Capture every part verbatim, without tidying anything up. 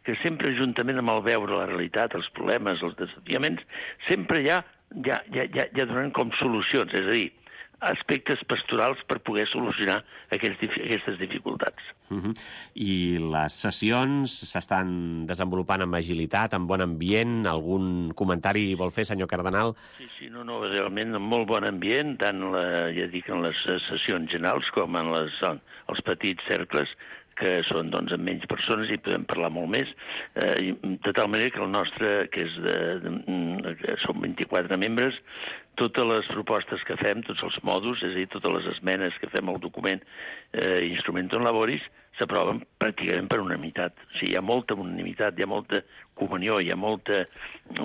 que sempre, juntament amb el veure la realitat, els problemes, els desafiaments, sempre ja, ja, ja, ja, ja donen com solucions, és a dir, aspectes pastorals per poder solucionar aquests, aquestes dificultats. Uh-huh. I les sessions s'estan desenvolupant amb agilitat, amb bon ambient? Algun comentari vol fer, senyor Cardenal? Sí, sí, no, no, realment amb molt bon ambient, tant la, ja dic, en les sessions generals com en les, en els petits cercles, que són doncs, amb menys persones i podem parlar molt més, eh, de tal manera que el nostre, que és de, de, de som vint-i-quatre membres, totes les propostes que fem, tots els mòduls, és a dir, totes les esmenes que fem al document eh, Instrumentum Laboris, s'aproven pràcticament per unanimitat. O sigui, hi ha molta unanimitat, hi ha molta comunió, hi ha molta,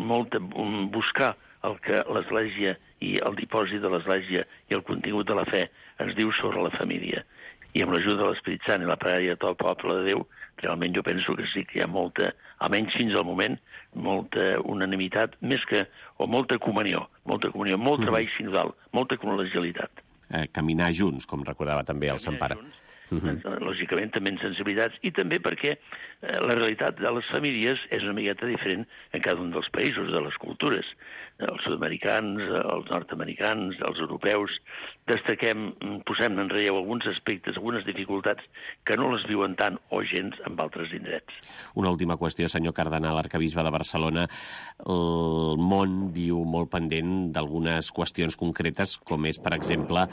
molta um, buscar el que l'Església i el dipòsit de l'Església i el contingut de la fe ens diu sobre la família. I amb l'ajuda de l'Esperit Sant i la pregària de tot el poble de Déu, realment jo penso que sí que hi ha molta, almenys fins al moment, molta unanimitat, més que, o molta comunió, molta comunió, molt treball sinodal, molta col·legialitat. Eh, caminar junts, com recordava també el Sant Pare. Uh-huh. Lògicament també en sensibilitats, i també perquè eh, la realitat de les famílies és una miqueta diferent en cada un dels països, de les cultures. Els sud-americans, els nord-americans, els europeus, destaquem, posem en relleu alguns aspectes, algunes dificultats que no les viuen tant o gens en altres indrets. Una última qüestió, senyor Cardenal, arquebisbe de Barcelona. El món viu molt pendent d'algunes qüestions concretes, com és, per exemple,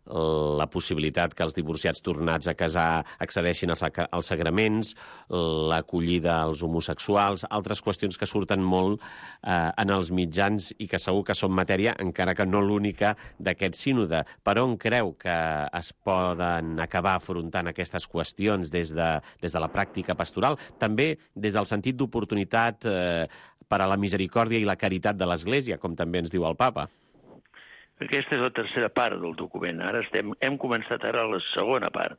la possibilitat que els divorciats tornats a casar accedeixin als, als sagraments, l'acollida als homosexuals, altres qüestions que surten molt eh, en els mitjans i que segur que són matèria, encara que no l'única, d'aquest sínode. Per on creu que es poden acabar afrontant aquestes qüestions des de, des de la pràctica pastoral? També des del sentit d'oportunitat eh, per a la misericòrdia i la caritat de l'Església, com també ens diu el Papa. Aquesta és la tercera part del document. Ara estem, hem començat ara la segona part.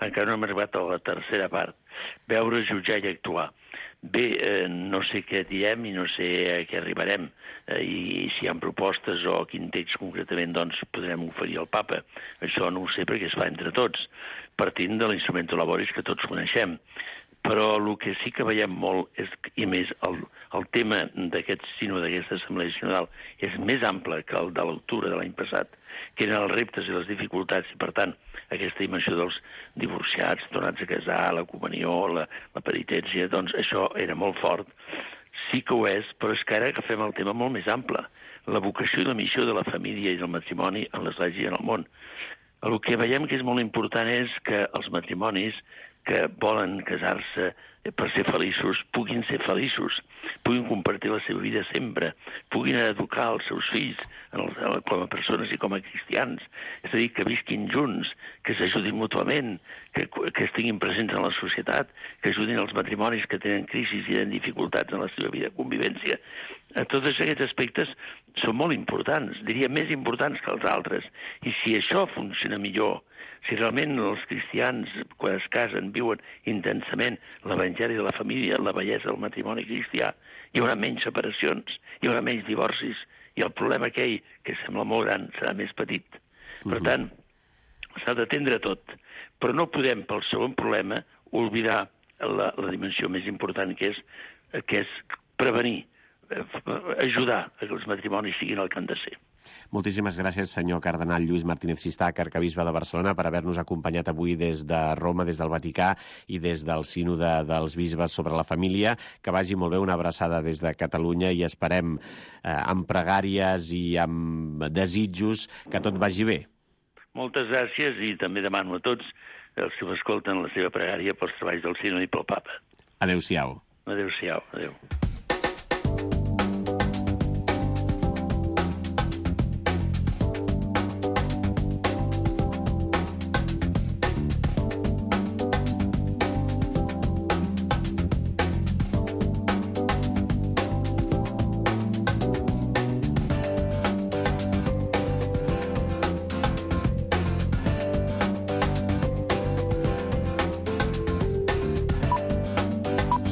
Encara no hem arribat a la tercera part. Veure, jutjar i actuar. Bé, eh, no sé què diem i no sé a què arribarem. Eh, I si hi ha propostes o quin text concretament doncs, podrem oferir al Papa. Això no ho sé perquè es fa entre tots, partint de l'Instrumentum Laboris que tots coneixem. Però el que sí que veiem molt, és, i més el, el tema d'aquest sínode, d'aquesta assemblea sinodal, és més ample que el de l'octubre de l'any passat, que eren els reptes i les dificultats, i per tant aquesta dimensió dels divorciats, tornats a casar, la comunió, la, la penitència, doncs això era molt fort. Sí que ho és, però és que ara agafem el tema molt més ample, la vocació i la missió de la família i del matrimoni en l'Església i en el món. El que veiem que és molt important és que els matrimonis que volen casar-se per ser feliços, puguin ser feliços, puguin compartir la seva vida sempre, puguin educar els seus fills en el, com a persones i com a cristians, és a dir, que visquin junts, que s'ajudin mútuament, que, que estiguin presents en la societat, que ajudin els matrimonis que tenen crisis i tenen dificultats en la seva vida de convivència. Tots aquests aspectes són molt importants, diria més importants que els altres, i si això funciona millor, si realment els cristians, quan es casen, viuen intensament l'evangeli de la família, la bellesa del matrimoni cristià, hi haurà menys separacions, hi haurà menys divorcis, i el problema aquell, que sembla molt gran, serà més petit. Per tant, s'ha d'atendre tot, però no podem, pel segon problema, oblidar la, la dimensió més important, que és, que és prevenir, ajudar a que els matrimonis siguin el que han de ser. Moltíssimes gràcies, senyor cardenal Lluís Martínez Sistac, arquebisbe de Barcelona, per haver-nos acompanyat avui des de Roma, des del Vaticà i des del sínode dels bisbes sobre la família. Que vagi molt bé, una abraçada des de Catalunya i esperem eh, amb pregàries i amb desitjos que tot vagi bé. Moltes gràcies i també demano a tots els que m'escolten la seva pregària pels treballs del sínode i pel Papa. Adéu-siau. Adéu-siau. Adéu.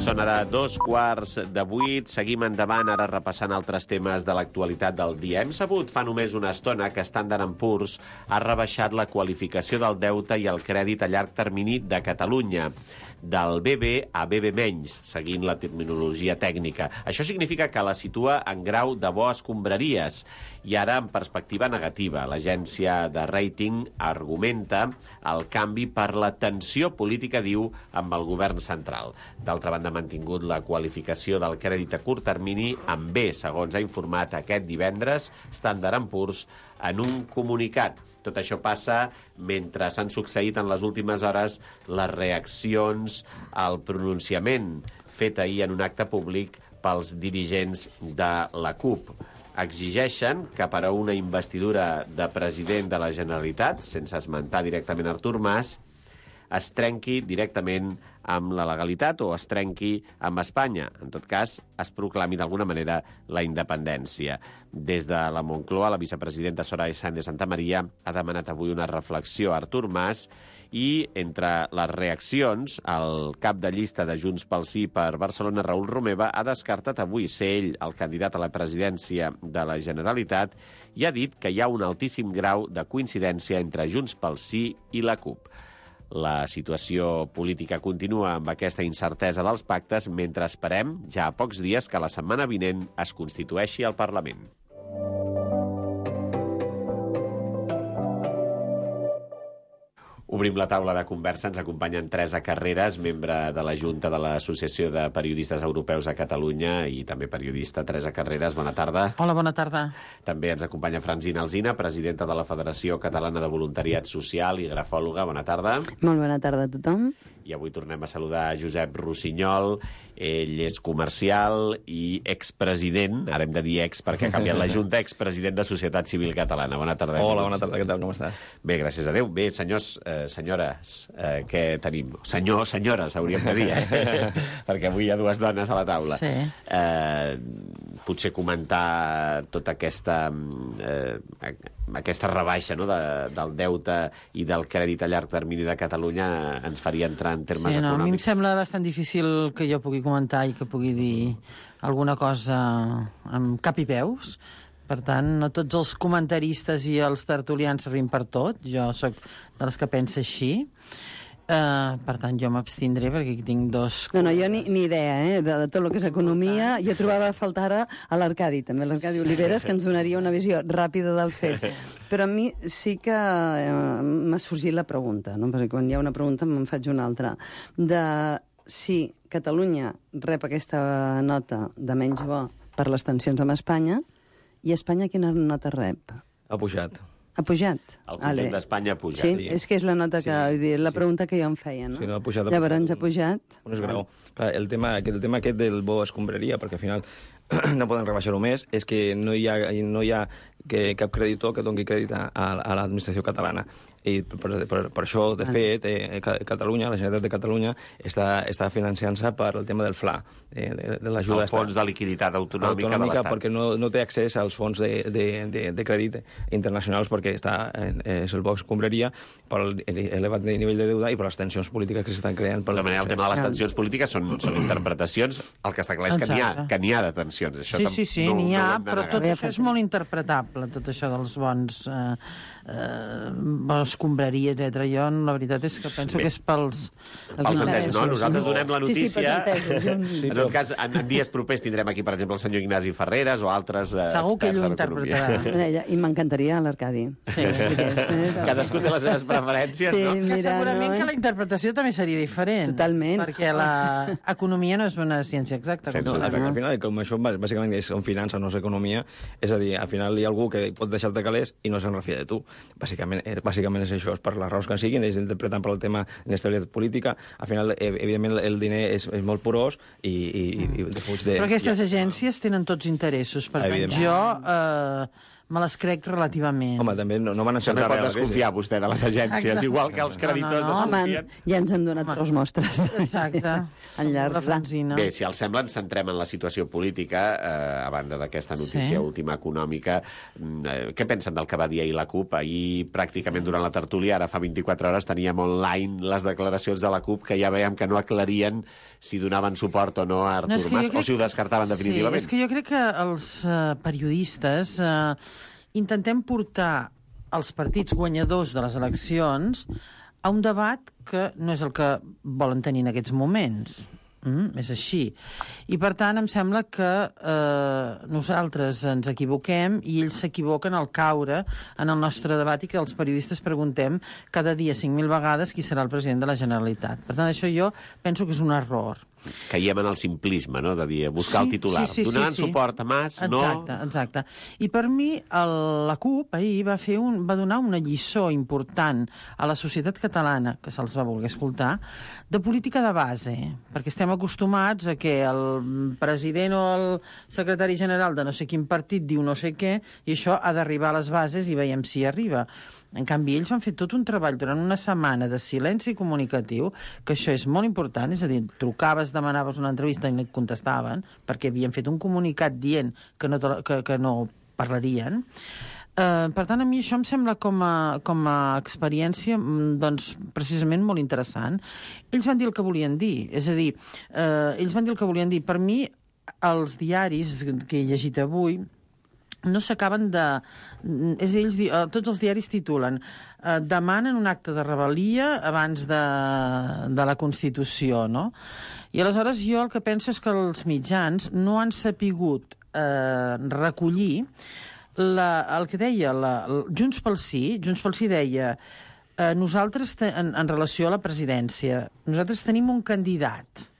Són ara dos quarts de vuit. Seguim endavant, ara repassant altres temes de l'actualitat del dia. Hem sabut fa només una estona que Standard and Poor's ha rebaixat la qualificació del deute i el crèdit a llarg termini de Catalunya. del B B a B B menys, seguint la terminologia tècnica. Això significa que la situa en grau de bo escombraries i ara en perspectiva negativa. L'agència de rating argumenta el canvi per la tensió política, diu, amb el govern central. D'altra banda, ha mantingut la qualificació del crèdit a curt termini amb B, segons ha informat aquest divendres Standard and Poor's en un comunicat. Tot això passa mentre s'han succeït en les últimes hores les reaccions al pronunciament fet ahir en un acte públic pels dirigents de la CUP. Exigeixen que per a una investidura de president de la Generalitat, sense esmentar directament Artur Mas, es trenqui directament amb la legalitat o es trenqui amb Espanya. En tot cas, es proclami d'alguna manera la independència. Des de la Moncloa, la vicepresidenta Soraya Sáenz de Santamaría ha demanat avui una reflexió a Artur Mas i, entre les reaccions, el cap de llista de Junts pel Sí per Barcelona, Raül Romeva, ha descartat avui ser ell el candidat a la presidència de la Generalitat i ha dit que hi ha un altíssim grau de coincidència entre Junts pel Sí i la CUP. La situació política continua amb aquesta incertesa dels pactes mentre esperem, ja a pocs dies, que la setmana vinent es constitueixi el Parlament. Obrim la taula de conversa. Ens acompanyen Teresa Carreras, membre de la Junta de l'Associació de Periodistes Europeus a Catalunya i també periodista. Teresa Carreras, bona tarda. Hola, bona tarda. També ens acompanya Francina Alsina, presidenta de la Federació Catalana de Voluntariat Social i grafòloga. Bona tarda. Molt bona tarda a tothom. I avui tornem a saludar Josep Rossinyol. Ell és comercial i expresident, ara hem de dir ex perquè ha canviat la Junta, expresident de Societat Civil Catalana. Bona tarda. Hola, bona tarda, què tal, com estàs? Bé, gràcies a Déu. Bé, senyors, eh, senyores, eh, què tenim? Senyor, senyores, hauríem de dir, eh? perquè avui hi ha dues dones a la taula. Sí. Eh, potser comentar tota aquesta, eh, aquesta rebaixa, no?, de, del deute i del crèdit a llarg termini de Catalunya ens faria entrar en termes sí, no, econòmics. A mi em sembla bastant difícil que jo pugui comentar i que pugui dir alguna cosa amb cap i peus. Per tant, no tots els comentaristes i els tertulians servim per tot. Jo sóc de les que pensa així. Uh, per tant, jo m'abstindré perquè aquí tinc dos... No, no, jo ni, ni idea, eh, de, de tot el que és economia. Jo trobava a faltar ara a l'Arcadi, també l'Arcadi Oliveres, que ens donaria una visió ràpida del fet. Però a mi sí que eh, m'ha sorgit la pregunta, no? Perquè quan hi ha una pregunta me'n faig una altra, de si Catalunya rep aquesta nota de menys bo per les tensions amb Espanya, i Espanya quina nota rep? Ha pujat. Ha pujat? El conjunt d'Espanya ha pujat. Sí, és que és la nota que, sí, dir, la pregunta que jo em feia, no? Sí, no, ha pujat, ha Llavors pujat ha pujat... Un esgrau. Clar, el tema, el tema aquest del bo escombraria, perquè al final no poden rebaixar-ho més, és que no hi ha, no hi ha que cap creditor que doni crèdit a, a l'administració catalana. I per, per, per això, de fet, eh, Catalunya, la Generalitat de Catalunya, està, està financiant-se per el tema del F L A, de, de, de l'ajuda... El Fons de Liquiditat Autonòmica, autonòmica de l'Estat. Perquè no, no té accés als fons de, de, de, de crèdit internacionals perquè està, eh, és el bo escombraria per l'elevat nivell de deuda i per les tensions polítiques que s'estan creant. Per de manera, el tema de les tensions polítiques són, són interpretacions. El que està clar és que n'hi ha, que n'hi ha de tensions. Això sí, sí, sí, no, n'hi ha, no però tot això és molt interpretable, tot això dels bons... Eh, eh, bons escombraria, etcètera. Jo, la veritat és que penso Bé. que és pels... Els entesos, no? Nosaltres donem la notícia... Sí, sí, pels entesos. En tot cas, en, en dies propers tindrem aquí, per exemple, el senyor Ignasi Ferreres o altres eh, Segur que ell ho interpretarà. I m'encantaria l'Arcadi. Sí. Cadascú té les seves preferències, sí, no? Mira, que segurament no, eh? que la interpretació també seria diferent. Totalment. Perquè l'economia no és una ciència exacta. Sí, no, al, al final, com això bàsicament és un finança, no és economia, és a dir, al final hi ha algú que pot deixar-te calés i no se'n refia de tu. Bàsicament, bàsicament és això, és per les raons que en siguin, ells interpreten per el tema d'inestabilitat política, al final, evidentment, el diner és, és molt porós i, i, i de fuig de... Però aquestes agències tenen tots interessos, per tant, jo eh, me les crec relativament. Home, també no, no van encertar res. No pot desconfiar vostè de les agències, Exacte. igual que els creditors no, no, no. desconfien. Home, ja ens han donat Home. dos mostres. Exacte. En llarg pla. Bé, si els sembla, ens centrem en la situació política, eh, a banda d'aquesta notícia sí. última econòmica. Eh, què pensen del que va dir ahir la CUP? Ahir, pràcticament durant la tertúlia, ara fa vint-i-quatre hores, teníem online les declaracions de la CUP que ja veiem que no aclarien si donaven suport o no a Artur no, Mas, crec... o si ho descartaven definitivament. Sí, és que jo crec que els uh, periodistes uh, intentem portar els partits guanyadors de les eleccions a un debat que no és el que volen tenir en aquests moments. Mm, és així. I, per tant, em sembla que eh, nosaltres ens equivoquem i ells s'equivoquen al caure en el nostre debat i que els periodistes preguntem cada dia cinc mil vegades qui serà el president de la Generalitat. Per tant, això jo penso que és un error. Caiem en el simplisme, no?, de dir, buscar sí, el titular. Sí, sí, Donaran sí, sí. suport a Mas, no... Exacte, exacte. I per mi el, la CUP ahir va, fer un, va donar una lliçó important a la societat catalana, que se'ls va voler escoltar, de política de base, perquè estem acostumats a que el president o el secretari general de no sé quin partit diu no sé què, i això ha d'arribar a les bases i veiem si arriba. En canvi, ells van fer tot un treball durant una setmana de silenci comunicatiu, que això és molt important, és a dir, trucaves, demanaves una entrevista i no et contestaven, perquè havien fet un comunicat dient que no, que, que no parlarien. Uh, per tant, a mi això em sembla com a, com a experiència doncs, precisament molt interessant. Ells van dir el que volien dir, és a dir, uh, ells van dir el que volien dir. Per mi, els diaris que he llegit avui no s'acaben de... És ells, tots els diaris titulen eh, demanen un acte de rebel·lia abans de, de la Constitució, no? I aleshores jo el que penso és que els mitjans no han sapigut eh, recollir la, el que deia la, Junts pel Sí. Junts pel Sí deia eh, nosaltres, te, en, en relació a la presidència, nosaltres tenim un candidat.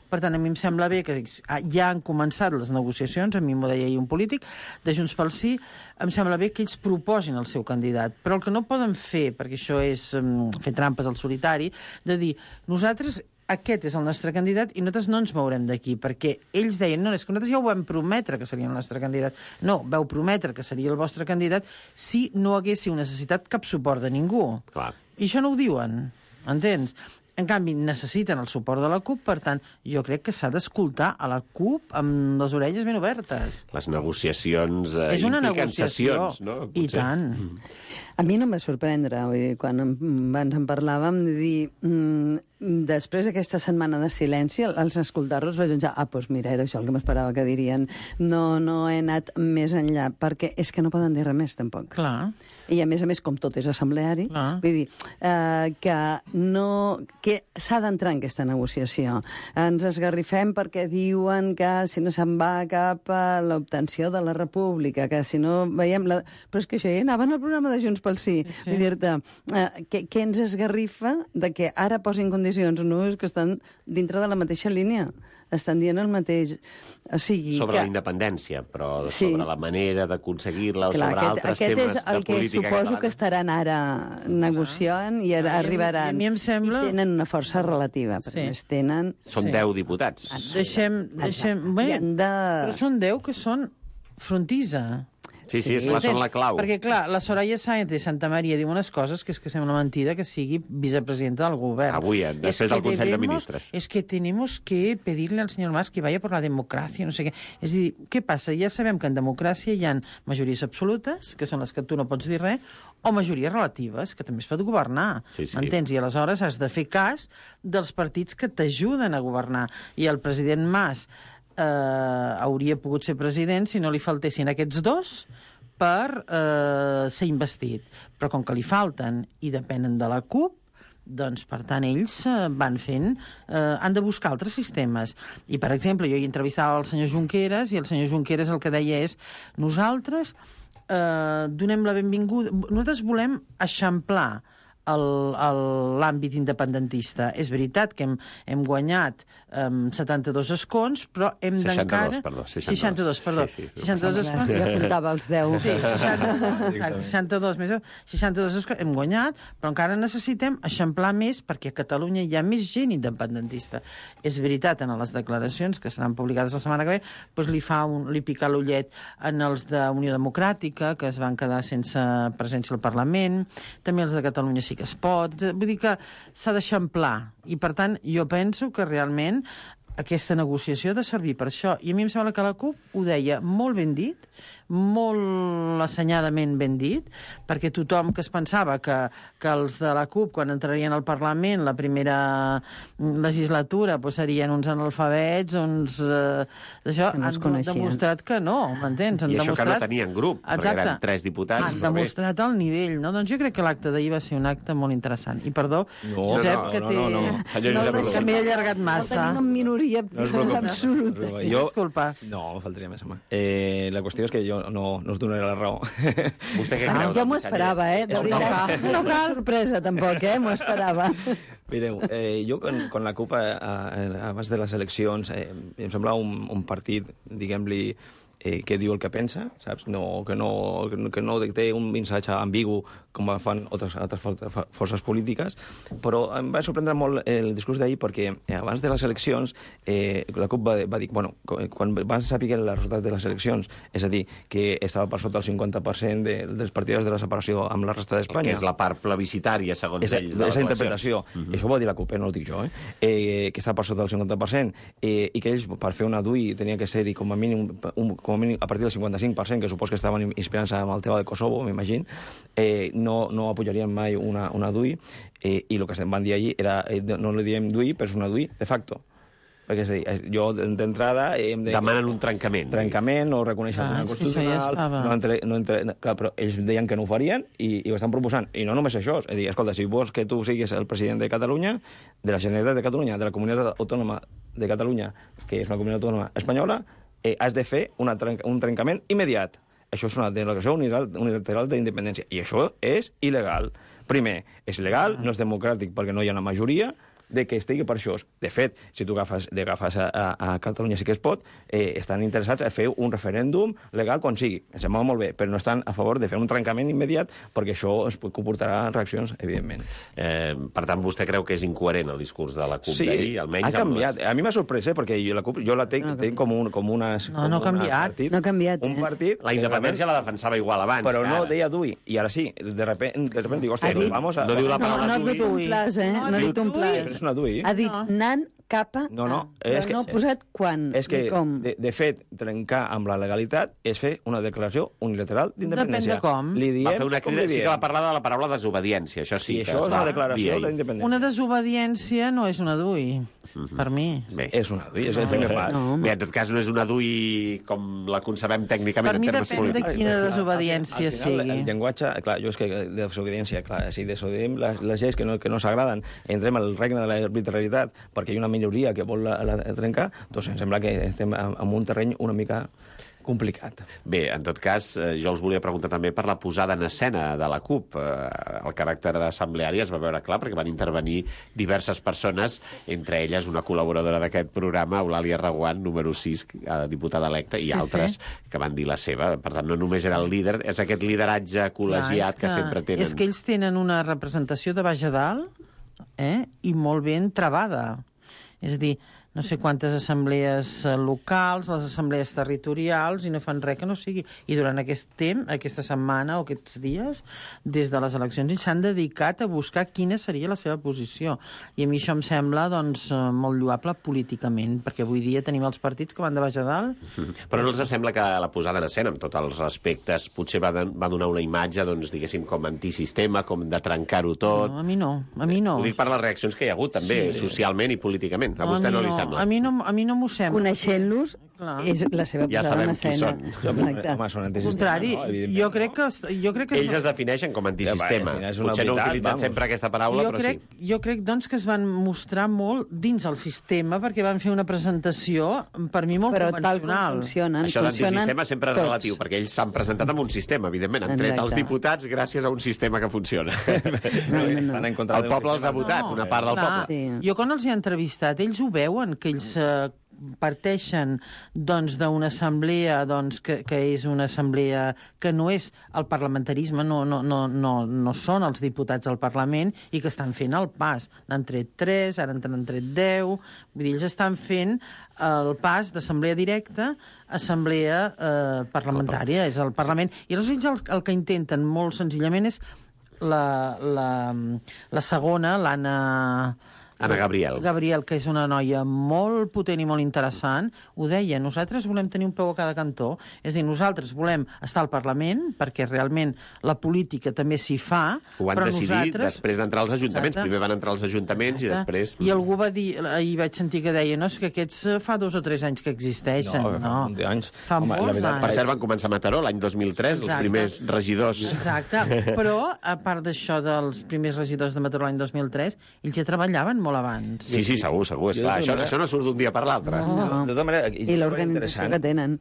Per tant, a mi em sembla bé que ja han començat les negociacions, a mi m'ho deia ahir un polític, de Junts pel Sí, em sembla bé que ells proposin el seu candidat. Però el que no poden fer, perquè això és um, fer trampes al solitari, de dir, nosaltres, aquest és el nostre candidat i nosaltres no ens mourem d'aquí, perquè ells deien, no, és que nosaltres ja ho vam prometre que seria el nostre candidat. No, vau prometre que seria el vostre candidat si no haguéssiu necessitat cap suport de ningú. Clar. I això no ho diuen, entens? En canvi, necessiten el suport de la CUP, per tant, jo crec que s'ha d'escoltar a la CUP amb les orelles ben obertes. Les negociacions eh, és una impliquen negociació, sessions, no? I tant. A mi no em va sorprendre, vull dir, quan abans en parlàvem, de dir, mmm, després d'aquesta setmana de silenci, als escoltar-los vaig pensar, ah, doncs mira, era això el que m'esperava que dirien. No, no he anat més enllà, perquè és que no poden dir res més, tampoc. Clar. I a més a més, com tot és assembleari, ah. vull dir, eh, que no... que s'ha d'entrar en aquesta negociació. Ens esgarrifem perquè diuen que si no se'n va cap a l'obtenció de la república, que si no veiem... La... Però és que això ja anaven al programa de Junts pel Sí. sí. Vull dir-te, eh, què, què ens esgarrifa de que ara posin condicions? No, és que estan dintre de la mateixa línia. Estan dient el mateix. O sigui, sobre que... la independència, però sí. sobre la manera de aconseguir-la o Clar, sobre aquest, altres aquest temes és el de que política suposo catalana. que estaran ara negociant i ara arribaran. I a mi em sembla... I tenen una força relativa, perquè sí. més tenen... Són sí. deu diputats. Deixem... deixem... Bé, de... però són deu que són frontisa. Sí, sí, sí, són la clau. Perquè, clar, la Soraya Sáenz de Santa Maria diu unes coses que és que sembla mentida que sigui vicepresidenta del govern. Avui, després del Consell de Ministres. Es que tenemos que pedirle al señor Mas que vaya por la democracia, no sé què. És a dir, què passa? Ja sabem que en democràcia hi ha majories absolutes, que són les que tu no pots dir res, o majories relatives, que també es pot governar. Sí, sí. M'entens? I aleshores has de fer cas dels partits que t'ajuden a governar. I el president Mas eh, hauria pogut ser president si no li faltessin aquests dos per eh, ser investit. Però com que li falten i depenen de la CUP, doncs, per tant, ells eh, van fent... Eh, han de buscar altres sistemes. I, per exemple, jo hi entrevistava el senyor Junqueras i el senyor Junqueras el que deia és nosaltres eh, donem la benvinguda... Nosaltres volem eixamplar l'àmbit independentista. És veritat que hem, hem guanyat um, setanta-dos escons, però hem d'encara... seixanta-dos, perdó. seixanta-dos, perdó. Sí, sí, seixanta-dos escons. Ja comptava els deu. Sí, seixanta, exacte, seixanta-dos més seixanta-dos escons. Hem guanyat, però encara necessitem eixamplar més perquè a Catalunya hi ha més gent independentista. És veritat, en les declaracions que seran publicades la setmana que ve, doncs li, fa un, li pica l'ullet en els d'Unió Democràtica, que es van quedar sense presència al Parlament, també els de Catalunya sí que es pot, vull dir que s'ha d'eixamplar i per tant jo penso que realment aquesta negociació ha de servir per això. I a mi em sembla que la CUP ho deia molt ben dit, molt assenyadament ben dit, perquè tothom que es pensava que, que els de la CUP, quan entrarien al Parlament la primera legislatura, pues, serien uns analfabets, uns... Eh, això que no han demostrat que no, m'entens? Han I això demostrat... que no tenien grup, Exacte. perquè eren tres diputats. Han demostrat el nivell, no? Doncs jo crec que l'acte d'ahir va ser un acte molt interessant. I perdó, No, Josep, no, que no, té... no, no. Senyor No, Josep no, Rodó. Que m'he allargat No massa. tenim en minoria No us preocupeu. absoluta. Jo... Disculpa. No, me faltaria més, home. Eh, la qüestió és que jo no, no us donaré la raó. Vostè què Ah, creu? jo m'ho doncs, esperava, eh? De No veritat. cal. No és una sorpresa, tampoc, eh? M'ho esperava. Mireu, eh, jo con, con la CUP, eh, eh, abans de les eleccions, eh, em sembla un, un partit, diguem-li, eh, que diu el que pensa, saps? No, que, no, que no té un missatge ambigu com fan altres, altres forces polítiques, però em va sorprendre molt el discurs d'ahir perquè eh, abans de les eleccions eh, la CUP va, va dir, bueno, quan van saber els resultats de les eleccions, és a dir, que estava per sota el cinquanta per cent de, dels partidars de la separació amb la resta d'Espanya. Que és la part plebiscitària, segons Esa, ells, de les esa eleccions. interpretació. Uh -huh. Això ho va dir la CUP, no ho dic jo, eh? eh que està per sota del cinquanta per cent eh, i que ells, per fer una D U I, tenia que ser-hi com a mínim, un, com a mínim a partir del cinquanta-cinc per cent, que supos que estaven inspirant-se amb el tema de Kosovo, m'imagino, eh, no, no apoyarien mai una, una D U I, eh, i el que van dir allí era, eh, no li diem D U I, però és una D U I de facto. Perquè és a dir, jo d'entrada... Eh, de... Demanen un trencament. Trencament, no reconeixen Ah, una és que constitucional... això ja estava. no entre, no entre, clar, però ells deien que no ho farien i, i ho estan proposant. I no només això, és a dir, escolta, si vols que tu siguis el president de Catalunya, de la Generalitat de Catalunya, de la Comunitat Autònoma de Catalunya, que és una comunitat autònoma espanyola, eh, has de fer una trenca, un trencament immediat. Això és una declaració unilateral d'independència. I això és il·legal. Primer, és legal, no és democràtic perquè no hi ha una majoria, de que estigui per això. De fet, si tu agafes, agafes a, a, a Catalunya sí que es pot, eh, estan interessats a fer un referèndum legal quan sigui. Em sembla molt bé, però no estan a favor de fer un trencament immediat perquè això es comportarà reaccions, evidentment. Eh, per tant, vostè creu que és incoherent el discurs de la CUP Sí, d'ahir? Almenys ha canviat. Les... A mi m'ha sorprès, eh, perquè jo la CUP jo la tenc, No, tenc com, un, com unes... No, com no ha una canviat. Partit, No ha canviat, Un eh? partit... La independència la defensava igual abans. Però que no ara. deia D U I. I ara sí, de repente, de repente dic, hòstia, Ha dit- vamos a... No diu la No, paraula no ha D U I. dit un plas, eh? No ha dit un Però plas. és una D U I. Ha dit nan, capa, No, no, a. Però és que- no ha posat quan És que, ni com. de, de fet, trencar amb la legalitat és fer una declaració unilateral d'independència. Depèn de com. Li diem Va fer una com crida, li sí diem. que va parlar de la paraula desobediència, això sí. I que això es és va una dir declaració ahir. d'independència. Una desobediència no és una D U I, per mi. Bé. És una D U I, és el primer pas. No, Bé, en tot cas, no és una D U I com la concebem tècnicament Per mi en termes depèn de polítics. quina desobediència Al final, sigui. El llenguatge, clar, jo és que de desobediència, clar, si desobediem les, les lleis que no, que no s'agraden, entrem al regne de l'arbitrarietat perquè hi ha una minoria que vol la, la trencar, doncs em sembla que estem en, en un terreny una mica complicat. Bé, en tot cas, eh, jo els volia preguntar també per la posada en escena de la CUP. Eh, el caràcter assembleari es va veure clar perquè van intervenir diverses persones, entre elles una col·laboradora d'aquest programa, Eulàlia Reguant, número sis, eh, diputada electa, i Sí, altres sí. que van dir la seva. Per tant, no només era el líder, és aquest lideratge col·legiat Clar, és que, sempre tenen. És que ells tenen una representació de baix a dalt eh, i molt ben travada. És a dir, no sé quantes assemblees eh, locals, les assemblees territorials, i no fan res que no sigui. I durant aquest temps, aquesta setmana o aquests dies, des de les eleccions, ells s'han dedicat a buscar quina seria la seva posició. I a mi això em sembla doncs, eh, molt lloable políticament, perquè avui dia tenim els partits que van de baix a dalt. Mhm. Però no els sembla que la posada en escena, amb tots els respectes, potser va, de, va donar una imatge, doncs, diguéssim, com antisistema, com de trencar-ho tot? No, a mi no, a mi no. Ho dic per les reaccions que hi ha hagut, també, Sí. socialment i políticament. A No, vostè mi no li no. sembla? A mi no, a mi no m'ho sembla. Coneixent-los, Clar. és la seva Ja posada en sabem qui escena. són. Exacte. Home, són Al antisistema, contrari, no? Evidentment, jo crec que... Jo crec que Ells es defineixen com a antisistema. Ja, va, és una Potser no veritat, utilitzen vamos. sempre aquesta paraula, jo però crec, sí. jo crec, doncs, que es van mostrar molt dins el sistema, perquè van fer una presentació, per mi, molt Però tal com convencional. funcionen, Això funcionen d'antisistema sempre és tots. relatiu, perquè ells s'han presentat amb un sistema, evidentment. Han tret els Exacte. diputats gràcies a un sistema que funciona. No, no, no. Estan en contra El d'un poble els ha sistema. votat, No, una part del clar, poble. Sí. Jo quan els he entrevistat, ells ho veuen, que ells eh, parteixen doncs, d'una assemblea doncs, que, que és una assemblea que no és el parlamentarisme, no, no, no, no, no són els diputats al Parlament i que estan fent el pas. N'han tret tres, ara n'han tret deu... Vull dir, ells estan fent el pas d'assemblea directa a assemblea eh, parlamentària, és el Parlament. I aleshores ells el, el que intenten molt senzillament és la, la, la segona, l'Anna... Anna Gabriel. Gabriel, que és una noia molt potent i molt interessant, ho deia, nosaltres volem tenir un peu a cada cantó, és a dir, nosaltres volem estar al Parlament, perquè realment la política també s'hi fa, ho van però decidir nosaltres... després d'entrar als ajuntaments. Exacte. Primer van entrar als ajuntaments Exacte. i després... I algú va dir, ahir vaig sentir que deia, no, és que aquests fa dos o tres anys que existeixen. No, fa no. un anys. Fa Home, molts veritat, anys. Per cert, van començar a Mataró l'any dos mil tres, Exacte. els primers regidors. Exacte, però a part d'això dels primers regidors de Mataró l'any dos mil tres, ells ja treballaven molt abans. Sí, sí, segur, segur. És clar, això, això no surt d'un dia per l'altre. No. De tota manera, I l'organització que tenen.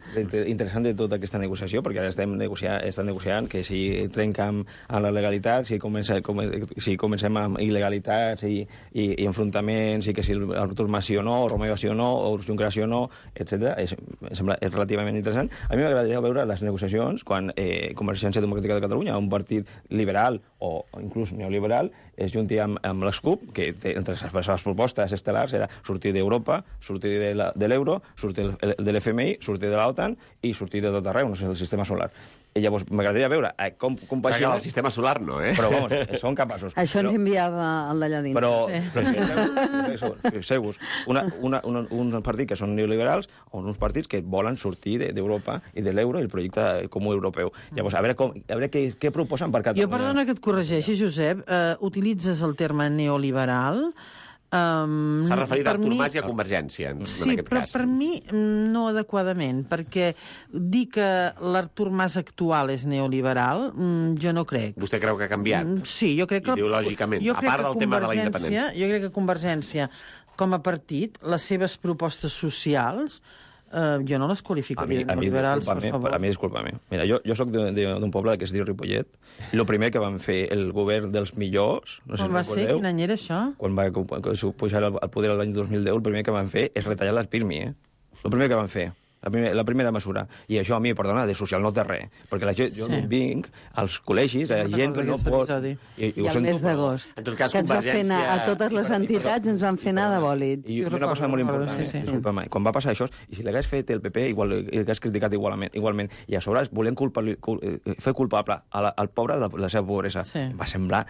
Interessant de tota aquesta negociació, perquè ara estem negociant, estem negociant que si trencam a la legalitat, si, comença, com, si comencem amb il·legalitats i, i, i enfrontaments, i que si Artur Mas sí o no, o Romeva sí o no, o Junqueras sí o no, etcètera. És, sembla, és relativament interessant. A mi m'agradaria veure les negociacions quan eh, Convergència Democràtica de Catalunya, un partit liberal o, o inclús neoliberal, es junti amb, amb les C U P, que té, entre les seves propostes estel·lars era sortir d'Europa, sortir de l'euro, sortir de l'F M I, sortir de l'OTAN i sortir de tot arreu, no sé, del sistema solar. I llavors m'agradaria veure eh, com compagina... El sistema solar no, eh? Però, vamos, són capaços. Això ens però, enviava el d'allà dins. però, Sí. però fixeu-vos, una, una, una, uns partits que són neoliberals o uns partits que volen sortir d'Europa i de l'euro i el projecte comú europeu. Llavors, a veure, com, a veure què, què proposen per Catalunya. Jo, perdona que et corregeixi, Josep, eh, utilitzes el terme neoliberal... Um, S'ha referit a per Artur mi- Mas i a Convergència, en, Sí, en aquest però cas. per mi mm, no adequadament, perquè dir que l'Artur Mas actual és neoliberal, mm, jo no crec. Vostè creu que ha canviat? Mm, Sí, jo crec que... Ideològicament, jo a crec part que del tema de la Convergència- independència. Jo crec que Convergència, com a partit, les seves propostes socials, eh, jo no les A mi, qualificaria de a mi, neoliberals, per disculpa-me, favor. a mi, disculpa-me. Mira, jo, jo sóc d'un poble que es diu Ripollet, i el primer que van fer el govern dels millors, no sé Com si va ser? recordeu, Quin any era això? quan va pujar al, al poder l'any dos mil deu, el primer que van fer és retallar les Pirmi, eh? El primer que van fer. La, primer, la primera mesura. I això a mi, perdona, de social no té res. Perquè la gent, jo Sí. vinc als col·legis, Sí, hi ha me'n gent que recordo no d'aquest pot... episodi. I, I el mes d'agost, En tot cas, que ens va fer anar a Convergència- totes les entitats, ens van fer anar de bòlit. I, Sí, i una recordo, cosa molt recordo, important, sí, sí. eh? disculpa-me, quan va passar això, i si l'hagués fet el P P, igual, i l'hagués criticat igualment, igualment, i a sobre volem culpa, cul, fer culpable a la, al pobre de la, de la seva pobresa, Sí. em va semblar...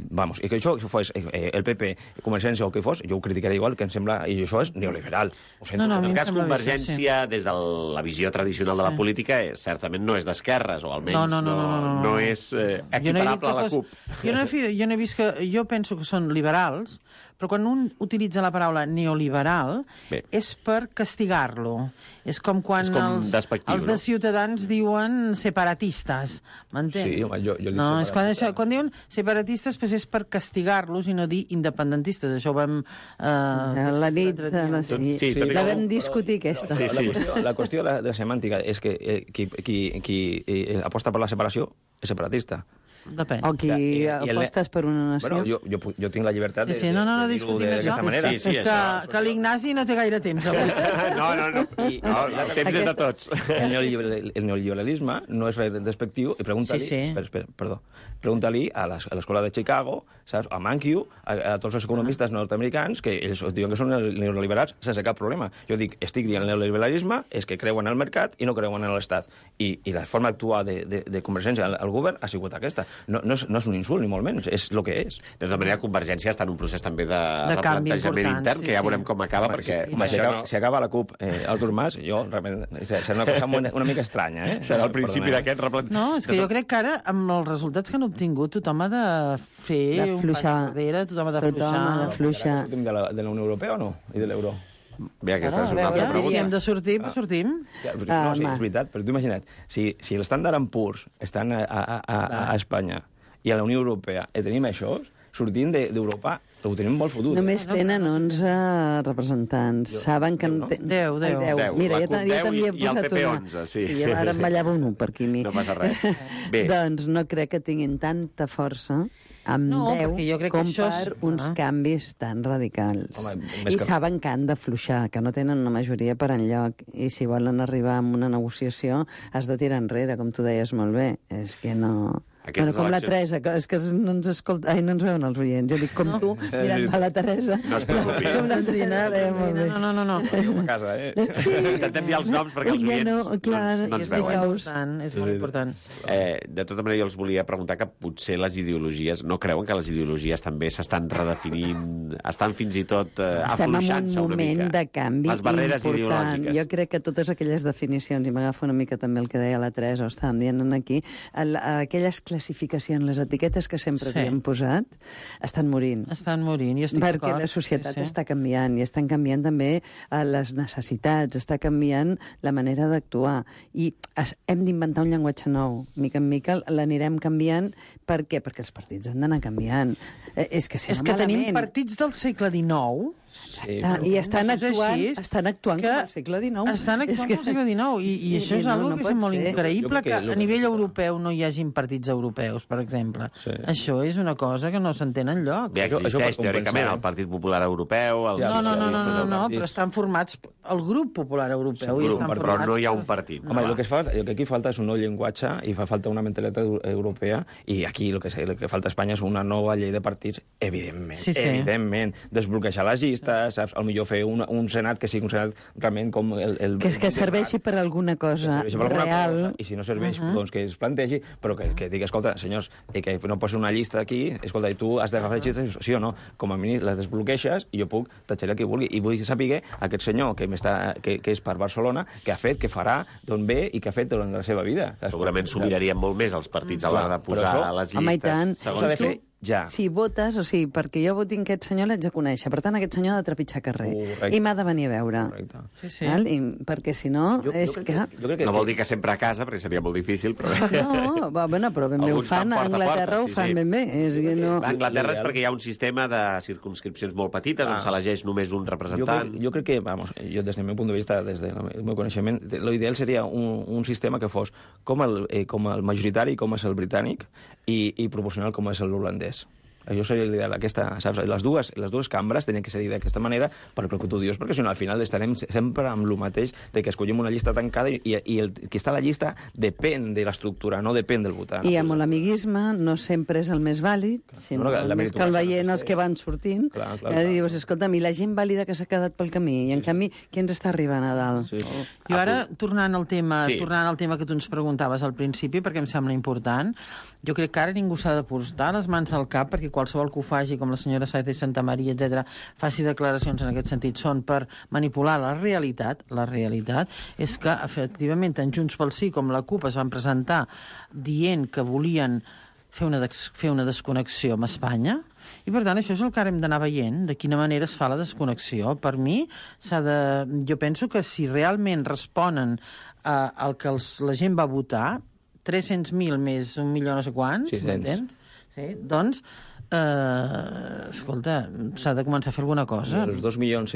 Vamos, i que això fos eh, el P P, Convergència o el que fos, jo ho criticaria igual, que em sembla... I això és neoliberal. Ho sento. No, no, a En mi tot em cas, sembla bé, Convergència, des de la visió tradicional de la Sí. política, eh, certament no és d'esquerres, o almenys No, no, no, no, no, no. no és eh, Jo no he dit equiparable que a la fos- CUP. Jo no, he, fi- jo no he vist que... Jo penso que són liberals, però quan un utilitza la paraula neoliberal Bé. és per castigar-lo. És com quan És com els, despectiu, els no? de Ciutadans diuen separatistes. M'entens? Sí, home, jo- jo dic no, és quan, separatista. això, quan diuen separatistes pues és per castigar-los i no dir independentistes. Això ho vam... Eh, La nit, l'altre dia. la, sí, Sí, tot i la que- vam discutir, aquesta. Sí, La, sí. qüestió, la qüestió de, de semàntica és que eh, qui, qui, qui eh, aposta per la separació és separatista. Depèn. O qui I- i el- apostes per una nació. Bueno, jo, jo, pu- jo tinc la llibertat de, Sí, sí, no, no, no de, de dir-ho discutim d'aquesta això. manera. Sí, sí, que, això. que l'Ignasi no té gaire temps avui. No, no, no. I- no el temps és de tots. El, neoliberal, el neoliberalisme no és res despectiu i pregunta-li... Sí, sí. Espera, espera, perdó. Pregunta-li a les- a l'escola de Chicago, saps? A Mankiw, a, a tots els economistes nord-americans, que ells diuen que són neoliberals sense cap problema. Jo dic, estic dient el neoliberalisme és que creuen en el mercat i no creuen en l'Estat. I, i la forma d'actuar de, de, de Convergència al, al govern ha sigut aquesta. No, no, és, no és un insult, ni molt menys, és el que és. De tota manera, Convergència està en un procés també de, De canvi replantejament important, intern, sí, que ja sí. veurem com acaba, Home, perquè si, home, si, això acaba, no... si acaba la CUP, eh, Artur Mas, jo, realment, serà una cosa una, una mica estranya, eh? serà el principi Perdoneu. d'aquest replantejament. No, és que jo crec que ara, amb els resultats que han obtingut, tothom ha de fer un pas D'afluixar. enrere, tothom ha de Tothom fluixar. ha de fluixar. Sortim de la, de la Unió Europea o no? I de l'euro? Bé, aquesta Ara, és a una altra veure, si pregunta. hem de sortir, pues sortim. Ja, però, Ah, no, sí, home. és veritat, però tu imagina't, si, si l'estàndard en purs estan a, a, a, a, a Espanya i a la Unió Europea i tenim això, sortint de- d'Europa, ho tenim molt fotut. Només no, tenen no, no, onze representants. Saben que... Deu, en no? te- Deu, deu. Ai, Deu. Mira, La jo, ta- CUP jo deu també he i- i el posat P P una. onze, sí. Sí, ara em ballava un u per aquí. Mi. No passa res. Bé. Doncs no crec que tinguin tanta força amb No, deu perquè jo crec que com això és- per uns Ah. canvis tan radicals. Home, més I que- saben que han de fluixar, que no tenen una majoria per enlloc. I si volen arribar a una negociació has de tirar enrere, com tu deies molt bé. És que no... Aquestes Bueno, com la eleccions- Teresa, que és que no ens escolta... Ai, no ens veuen els oients. Jo dic com No. tu, mirant a la Teresa. No es preocupi. Com l'Alzina, eh, molt bé. No, no, no, no. A casa, eh? Intentem dir els noms perquè els Ja oients no, clar, no, ens- no ens És veuen. molt important, és molt important. Eh, de tota manera, jo els volia preguntar que potser les ideologies... No creuen que les ideologies també s'estan redefinint, estan fins i tot eh, Estem en un afluixant-se una moment mica? de canvi Les barreres important. ideològiques. Jo crec que totes aquelles definicions, i m'agafo una mica també el que deia la Teresa, o estàvem dient aquí, el, aquelles classificacions, les etiquetes que sempre Sí. havíem posat, estan morint. Estan morint, jo estic Perquè d'acord. la societat Sí, sí. està canviant i estan canviant també eh, les necessitats, està canviant la manera d'actuar i es, hem d'inventar un llenguatge nou. Mica en mica l'anirem canviant. Per què? Perquè els partits han d'anar canviant. Eh, és que si És no que malament... tenim partits del segle dinou Sí, Ah, I estan Això és actuant, així, estan actuant que com al segle dinou. Estan actuant És que- com al segle dinou, i, i, I- això i és no, algo no que és pot molt ser. increïble, Jo crec que, que a lo- nivell europeu no hi hagin partits europeus, per exemple. Sí. Això és una cosa que no s'entén enlloc. Bé, Això- això existeix per compensar, teòricament eh? el Partit Popular Europeu, els Ja, No, no, no, no, no, socialistes no, partits. però estan formats... El grup popular europeu Sí, i grup, estan però formats... no hi ha un per- partit. Home, clar. el que, es fa, el que aquí falta és un nou llenguatge i fa falta una mentalitat eu- europea i aquí el que, el que falta a Espanya és una nova llei de partits, evidentment, Sí, sí. evidentment. Desbloquejar les llistes, saps? Al millor fer un, un senat que sigui un senat realment com el... el Que és que el- serveixi per alguna que cosa serveixi per alguna real. cosa, i si no serveix, uh -huh. doncs que es plantegi, però que, que digui, escolta, senyors, eh, que no posi una llista aquí, escolta, i tu has d'agafar les llistes, sí o no? Com a mínim les desbloqueixes i jo puc tatxar qui vulgui. I vull saber aquest senyor que, m'està, que, que és per Barcelona, que ha fet, que farà, d'on ve i que ha fet durant la seva vida. Saps? Segurament s'ho mirarien molt més els partits a l'hora de Però posar això- les llistes. Home, i tant. S'ha de fer ja. Si votes, o sigui, perquè jo voti aquest senyor l'haig de conèixer, per tant, aquest senyor ha de trepitjar carrer. Correcte. I m'ha de venir a veure. Correcte. Sí, sí. Val? I, perquè si no, Jo, és jo, que... crec que, jo crec que... No vol dir que sempre a casa, perquè seria molt difícil, però... No, va, bueno, però ben bé ho Alguns fan fan, a porta a porta, Anglaterra ho sí, fan sí. ben bé. És que no... A Anglaterra és perquè hi ha un sistema de circumscripcions molt petites, on Ah. s'elegeix només un Jo representant. crec, jo crec que, vamos, jo des del meu punt de vista, des del meu coneixement, l'ideal seria un, un sistema que fos com el, eh, com el majoritari, com és el britànic, i, i proporcional com és l'holandès. Això seria l'ideal. Aquesta, saps? Les dues, les dues cambres tenien que ser d'aquesta manera per el que tu dius, perquè si no, al final estarem sempre amb el mateix de que escollim una llista tancada i, i el que està a la llista depèn de l'estructura, no depèn del votant. I amb l'amiguisme no sempre és el més vàlid, sinó No, no, la el més que el meritocràcia veient no els sé. que van sortint. Clar, clar, I clar. dius, escolta'm, i la gent vàlida que s'ha quedat pel camí, i en canvi, qui ens està arribant a dalt? Sí. Jo ara, tornant al tema, Sí. sí. tornant al tema que tu ens preguntaves al principi, perquè em sembla important, jo crec que ara ningú s'ha de portar les mans al cap, perquè qualsevol que ho faci, com la senyora Saez de Santa Maria, etcètera, faci declaracions en aquest sentit, són per manipular la realitat. La realitat és que, efectivament, tant Junts pel Sí com la CUP es van presentar dient que volien fer una, des fer una desconnexió amb Espanya, i per tant això és el que ara hem d'anar veient, de quina manera es fa la desconnexió. Per mi, s'ha de... jo penso que si realment responen uh, al que els, la gent va votar, tres-cents mil més un milió no sé quants, sis-cents. m'entens? Sí, doncs, eh, escolta, s'ha de començar a fer alguna cosa. Els dos milions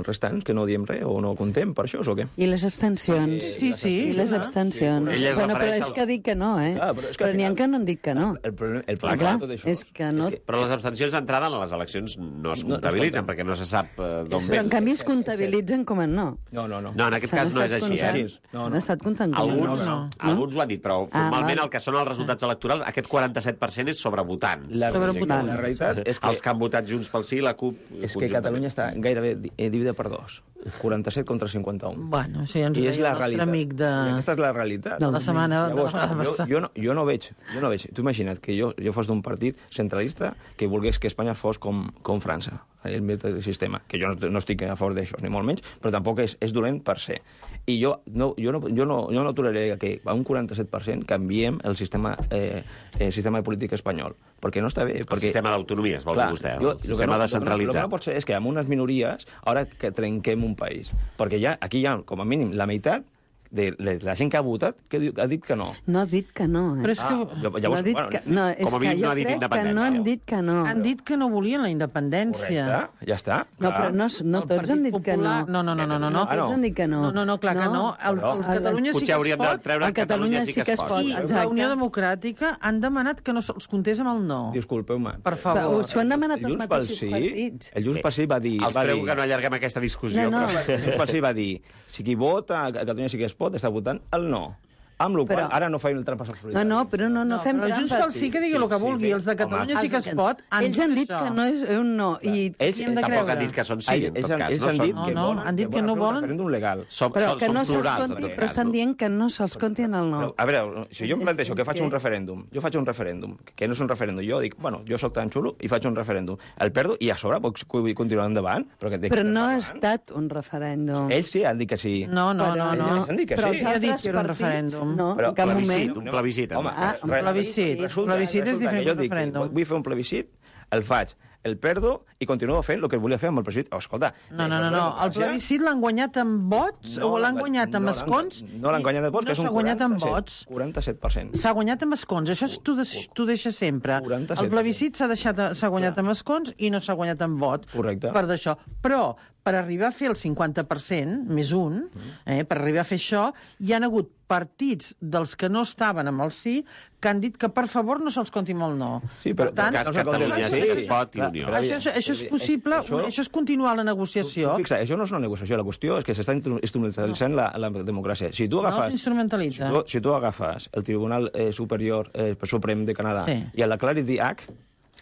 restants, que no diem res, o no contem per això, o què? I les abstencions. Sí, sí. I les clar. abstencions. Sí, ell es bueno, però refereix és als- que dic que no, eh? Clar, però és que però al n'hi ha final- que no han dit que no. El problema, el Clar, problema de tot això és que no... Però les abstencions d'entrada en les eleccions no es No, no es comptabilitzen, compten. perquè no se sap eh, d'on Però en ve. canvi es comptabilitzen com a no. No, no, no. No, en aquest S'han cas no és estat així, comptant. eh? No, S'han no. estat comptant com a Alguns, no. no. alguns ho han dit, però Ah, formalment val. el que són els resultats electorals, aquest quaranta-set per cent és sobre votants. La, Sobre sí, votant. la realitat és que, Els que han votat Junts pel Sí, la CUP... és que Catalunya està gairebé di- eh, dividida per dos. quaranta-set contra cinquanta-un. Bueno, això ja ens ho I és deia la el nostre realitat. amic de... I aquesta és la realitat. de la setmana de Llavors, la vegada jo, passada. jo, no, jo no veig, jo no veig. Tu imagina't que jo, jo fos d'un partit centralista que volgués que Espanya fos com, com França, el meu sistema, que jo no, no estic a favor d'això, ni molt menys, però tampoc és, és dolent per ser. I jo no, jo no, jo no, jo no aturaré que a un quaranta-set per cent canviem el sistema, eh, el sistema de política espanyol, perquè no està bé. El Perquè, sistema d'autonomies, vol clar, dir vostè, jo- el lo que sistema no- descentralitzat. El que no pot ser és que amb unes minories, ara que trenquem un país. Perquè ja, aquí hi ha, com a mínim, la meitat de, de la gent que ha votat que diu, ha dit que no. No ha dit que no, eh? Però és que Ah, llavors, no ha dit bueno, que... No, és com a que mínim no jo ha dit crec que no independència. han dit que no. han dit que no volien la independència. Correcte, ja està. No, clar. però no, no El tots Partit han dit que no. Popular- No, no, no, no, no. no. Ah, no. Tots han dit que no. No, no, no, clar que no. El, Però- el Catalunya sí Potser que es hauríem de pot. treure a Catalunya sí que es pot. I Exacte. la Unió Democràtica han demanat que no se'ls comptés amb el no. Disculpeu-me. Per Però favor. s'ho han demanat El els Junts pel mateixos Sí, partits. el Junts pel Sí va dir... Els va prego dir, que no allarguem aquesta discussió. No, no. Però... el Junts pel Sí va dir, si qui vota a Catalunya sí que es pot, està votant el no. Amb la qual Però- ara no feim el trampes al No, solitari. no, però no, no, fem però trampes. Junts pel Sí que digui el que sí, vulgui. sí, Els de Catalunya home. sí que es pot. Han Ells han dit això. que no és un no. I Ells Hem de Tampoc creure. han dit que són sí, en ells, tot cas. ells No han són... dit No, que no, volen, han dit que volen no fer un volen. referèndum legal. Som, però són, que són no se'ls plurals, en conti, tot però cas, estan no? dient que no se'ls conti en el no. Però, a veure, si jo em planteixo que faig És un que- referèndum, jo faig un referèndum, que no és un referèndum, jo dic, bueno, jo sóc tan xulo i faig un referèndum, el perdo i a sobre puc continuar endavant. Però, que de Però què no ha estem estat un referèndum. Ells sí han dit que sí. No, no, no, Però no. ells han dit que però sí. els Qui ha dit altres que era un partits, referèndum? No, Però en cap plebiscit, moment. un plebiscit, en Home, tot cas. Ah, un re- plebiscit. Resulta, Plebiscit és resulta diferent que jo d'un dic, referèndum. vull fer un plebiscit, el faig, el perdo i continuo fent el que volia fer amb el plebiscit. Oh, escolta... No, no, no, no. El plebiscit l'han guanyat amb vots o l'han guanyat amb escons? No l'han guanyat amb vots, No que és un s'ha guanyat amb quaranta-set vots. quaranta-set per cent. S'ha guanyat amb escons, això és- t'ho deix- t'ho deixa sempre. quaranta-set. El plebiscit s'ha deixat s'ha guanyat amb escons i no s'ha guanyat amb vots. Correcte. Per d'això. Però per arribar a fer el cinquanta per cent, més un, eh, per arribar a fer això, hi han hagut partits dels que no estaven amb el sí que han dit que, per favor, no se'ls compti amb el no. Sí, però- per tant, cas, no s'ha Catalunya comptat. sí que es pot i clar, Unió. però això, és, això és possible, Això- això és continuar la negociació. Tu, fixa, això no és una negociació, la qüestió és que s'està instru- instrumentalitzant la, la democràcia. Si tu No agafes, s'instrumentalitza. si tu, si tu agafes el Tribunal eh, Superior eh, Suprem de Canadà Sí. i el Clarity Act,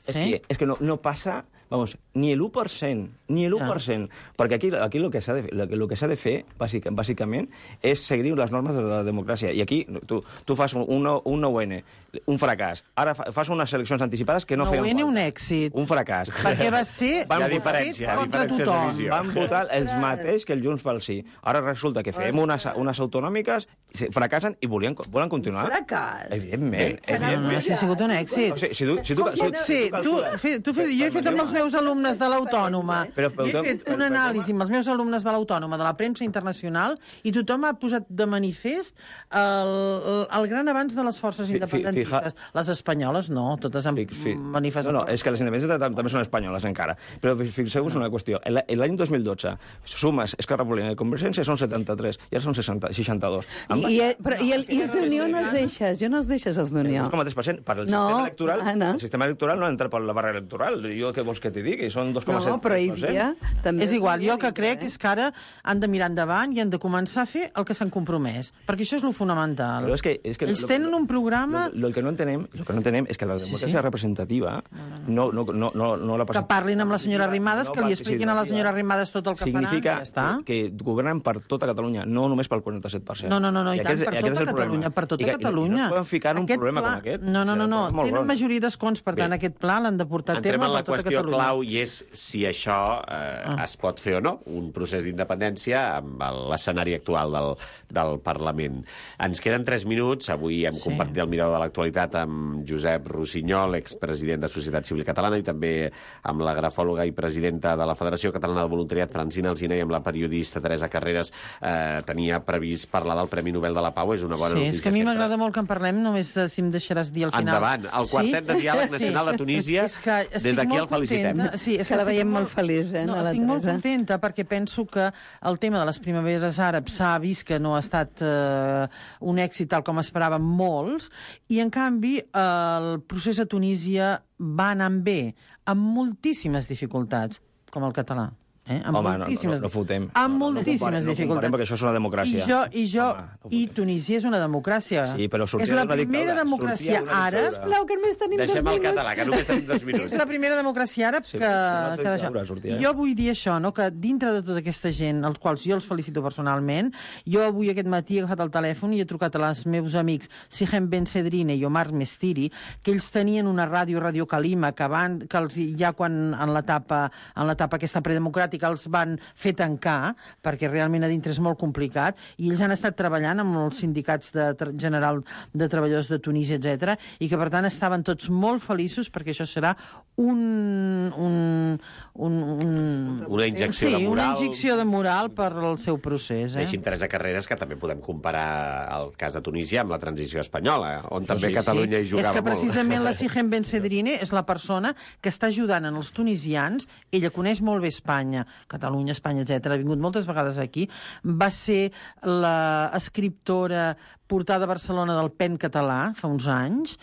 és Sí. que, és que no, no passa, vamos, ni l'u per cent, ni l'u per cent, perquè aquí, aquí el que s'ha de, el, el que s'ha de fer, bàsic, bàsicament, és seguir les normes de la democràcia. I aquí tu, tu fas un, un, un nou N, un fracàs. Ara fa, fas unes eleccions anticipades que no Nou feien N, falta. un èxit. Un fracàs. Perquè va ser Van Hi ha votar- diferència, hi ha contra diferències de tothom. visió. Van votar els mateixos que el Junts pel Sí. Ara resulta que fem unes, unes autonòmiques, se- fracassen i volien, volen continuar. Fracàs. Evidentment. No, no, no, evidentment. si ha sigut un èxit. O sigui, si tu, si tu, Pot ser, tu, fe, tu fe, jo he fet amb els meus alumnes de l'Autònoma, Però- jo he però- fet però- un però- anàlisi amb els meus alumnes de l'Autònoma, de la premsa internacional, i tothom ha posat de manifest el, el gran avanç de les forces Fi- fi- independentistes. Les espanyoles no, totes han Fi- fi- manifestat. No, no, és que les independentistes tam- també són espanyoles encara. Però fi- fixeu-vos una qüestió. El- L'any dos mil dotze, sumes Esquerra Republicana i Convergència són setanta-tres, i ara són seixanta, seixanta-dos. I, i, però, i, el, i els d'Unió no els deixes, jo no els deixes, els El d'Unió. dos coma tres per cent. Per el No, sistema electoral, Anna. el sistema electoral no entra per la barra electoral. Jo què vols que t'hi digui? Són dos coma set No, però hi per cent. havia... També És igual, jo el que hi havia, crec eh? és que ara han de mirar endavant i han de començar a fer el que s'han compromès, perquè això és lo fonamental. Però és que, és que Ells lo- tenen un programa Lo, lo, que no entenem, lo que no entenem és que la democràcia sí. representativa no, no, no, no, no la que parlin amb la senyora Arrimadas, que li expliquin a la senyora Arrimadas tot el que significa faran, i ja està. que governen per tota Catalunya, no només pel quaranta-set per cent. No, no, no, no i, tant, aquest- per aquest és tota el problema. Catalunya, per tota I que- Catalunya. I no es poden ficar en un Aquest problema pla... com aquest. No, no, no, no. Molt tenen gros. majoria d'escons, per tant, Bé. aquest pla l'han de portar a Entrem terme en la per tota qüestió Catalunya. clau i és si això eh, ah. es pot fer o no, un procés d'independència amb l'escenari actual del, del Parlament. Ens queden tres minuts. Avui hem Sí. compartit el mirador de l'actualitat amb Josep Rossinyol, expresident de Societat Civil Catalana, i també amb la grafòloga i presidenta de la Federació Catalana de Voluntariat, Francina Alsina, i amb la periodista Teresa Carreras. Eh, tenia previst parlar del Premi Nobel de la Pau. És una bona Sí, notícia. és que a mi sempre. m'agrada molt que en parlem, només de, si em deixaràs dir al final. Endavant, el quartet de diàleg nacional de Tunísia, És que des estic d'aquí molt el felicitem. contenta. Sí, és Se la estic veiem molt feliç, eh, No, a la estic molt Teresa. contenta perquè penso que el tema de les primaveres àrabs s'ha vist que no ha estat eh, un èxit tal com esperaven molts, i en canvi el procés a Tunísia va anar bé, amb moltíssimes dificultats, com el català. Eh? Amb Home, no, moltíssimes, no, no fotem. amb No, no moltíssimes comparem, no dificultats. comparem, perquè això és una democràcia. I jo, i, jo, Home, no i fotem. Tunísia és una democràcia. Sí, però sortia és la d'una primera dictadura, democràcia sortia d'una àrab. dictadura. Sisplau, que només tenim Deixem dos el minuts. català, que només tenim dos minuts. És la primera democràcia àrab Sí, que, una que d'això. dictadura sortia, eh? Jo vull dir això, no? Que dintre de tota aquesta gent, als quals jo els felicito personalment, jo avui aquest matí he agafat el telèfon i he trucat a els meus amics Sihem Ben Sedrine i Omar Mestiri, que ells tenien una ràdio, Radio Kalima, que, van, que els, ja quan en l'etapa en l'etapa aquesta predemocràtica els van fer tancar, perquè realment a dintre és molt complicat, i ells han estat treballant amb els sindicats de, general de treballadors de Tunísia, etcètera, i que per tant estaven tots molt feliços perquè això serà un... un, un, un Una injecció sí, de moral. una injecció de moral per al seu procés. Eh? Deixi'm Teresa Carreras, que també podem comparar el cas de Tunísia amb la transició espanyola, on també sí, Catalunya hi jugava és que molt. precisament la Sihem Ben Sedrine és la persona que està ajudant en els tunisians. Ella coneix molt bé Espanya, Catalunya, Espanya, etcètera. Ha vingut moltes vegades aquí. Va ser l'escriptora portada a Barcelona del Pen català fa uns anys,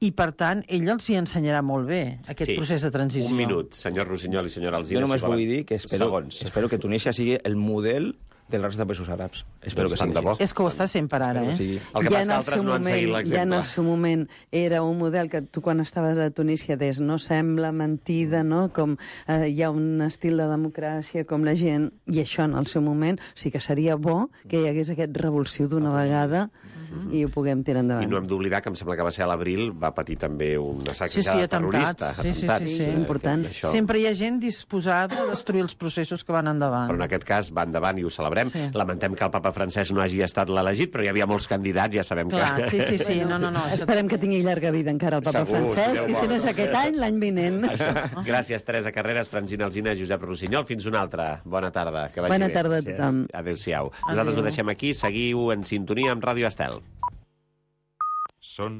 i per tant ella els hi ensenyarà molt bé aquest Sí. procés de transició. Un minut, senyor Rossinyol i senyora Alsina. Jo només si volen. vull dir que espero, Segons. espero que Tunísia sigui el model de la resta de països àrabs. Espero Doncs que tant sigui de bo. així. És que ho està sent per ara, Espero que eh? sigui. El que Ja passa en que el altres seu no han seguit moment- Ja en l'exemple. el seu moment era un model que tu quan estaves a Tunísia deies no sembla mentida, no? Com eh, hi ha un estil de democràcia, com la gent, i això en el seu moment, o sigui que seria bo que hi hagués aquest revulsiu d'una vegada i ho puguem tirar I endavant. no hem d'oblidar que em sembla que va ser a l'abril, va patir també una Sí, sí, sacsejada atemptats. terrorista. Sí, sí, sí, atemptats, sí. eh, Important. que Això... Sempre hi ha gent disposada a destruir els processos que van endavant. Però en aquest cas va endavant i ho celebrem. Sí. Lamentem que el papa Francesc no hagi estat l'elegit, però hi havia molts candidats, ja sabem Clar, que... sí, sí, sí, no, no, no. això- Esperem que tingui llarga vida encara el papa Segur, Francesc, Déu i si vol. no és aquest any, l'any vinent. Gràcies, Teresa Carreras, Francina Alsina, Josep Rossinyol. Fins una altra. Bona tarda. Que vagi Bona bé. tarda a tothom. Adéu-siau. Nosaltres ho deixem aquí. Seguiu en sintonia amb Ràdio Estel. Són